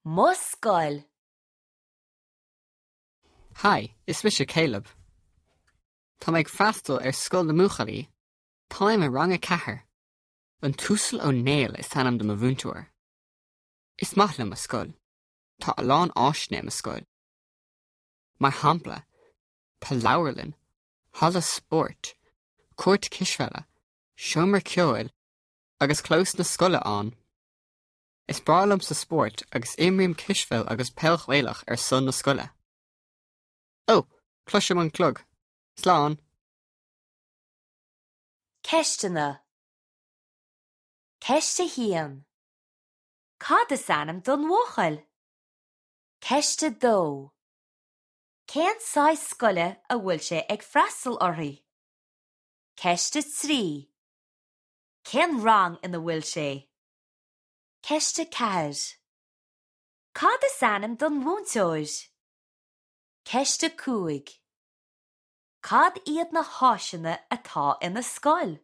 Mo scoil. Hi, is mise Caleb. Tá mé ag freastal ar scoil na mbuachaillí. Táim i rang a 4. An tUasal Ó Néill is ainm do mo mhúinteoir. Is maith liom mo scoil. Tá a lán áiseanna i mo scoil. Mar shampla, tá leabharlann, halla spóirt, cúirt cispheile, seomra ceoil agus clós na scoile ann. Is breá liomsa spórt agus imrím cispheil agus peil Ghaelach ar son na scoile. Ó, cloisim an clog. Slán! Ceisteanna Ceist 1. Cad is ainm don bhuachaill? Ceist 2. Cén saghas scoile a bhfuil sé ag freastal uirthi? Ceist 3. Cén rang ina bhfuil sé? Ceist 4. Cad is ainm don mhúinteoir? Ceist 5. Cad iad na háiseanna atá ina scoil?